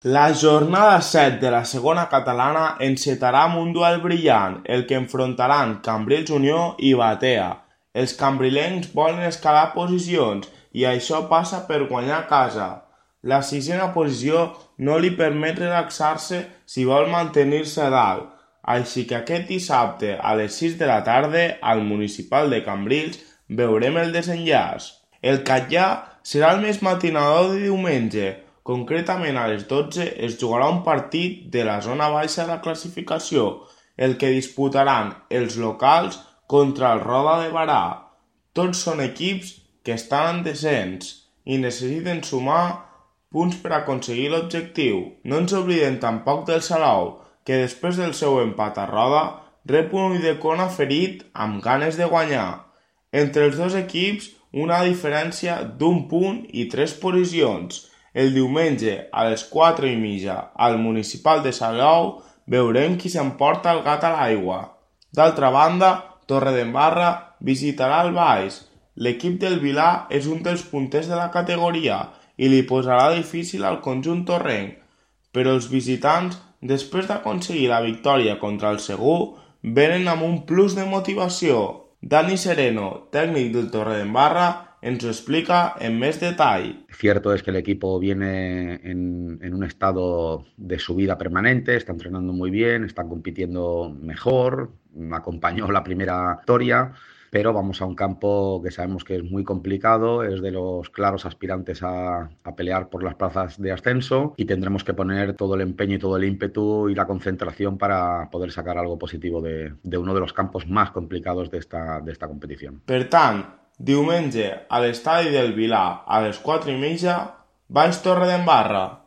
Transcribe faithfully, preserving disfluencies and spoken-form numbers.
La jornada set de la segona catalana encetarà amb un duel brillant, el que enfrontaran Cambrils Unió i Batea. Els cambrilencs volen escalar posicions i això passa per guanyar a casa. La sisena posició no li permet relaxar-se si vol mantenir-se a dalt, així que aquest dissabte a les sis de la tarda al Municipal de Cambrils veurem el desenllaç. El Catllà serà el més matinador de diumenge. Concretament a les dotze es jugarà un partit de la zona baixa de la classificació, el que disputaran els locals contra el Roda de Barà. Tots són equips que estan en descens i necessiten sumar punts per aconseguir l'objectiu. No ens oblidem tampoc del Salou, que després del seu empat a Roda rep un Ulldecona ferit amb ganes de guanyar. Entre els dos equips una diferència d'un punt i tres posicions. El diumenge a les quatre i mitja al Municipal de Salou veurem qui s'emporta el gat a l'aigua. D'altra banda, Torredembarra visitarà el Baix. L'equip del Vilar és un dels punters de la categoria i li posarà difícil al conjunt torrenc, però els visitants, després d'aconseguir la victòria contra el Segur, venen amb un plus de motivació. Dani Sereno, tècnic del Torredembarra, ens lo explica en més detall. Cierto es que el equipo viene en, en un estado de subida permanente, está entrenando muy bien, está compitiendo mejor, acompañó la primera victoria, pero vamos a un campo que sabemos que es muy complicado, es de los claros aspirantes a, a pelear por las plazas de ascenso y tendremos que poner todo el empeño y todo el ímpetu y la concentración para poder sacar algo positivo de, de uno de los campos más complicados de esta, de esta competición. Per tant, diumenge a l'estadi del Vilar a les quatre i mitja, Baix Torredembarra.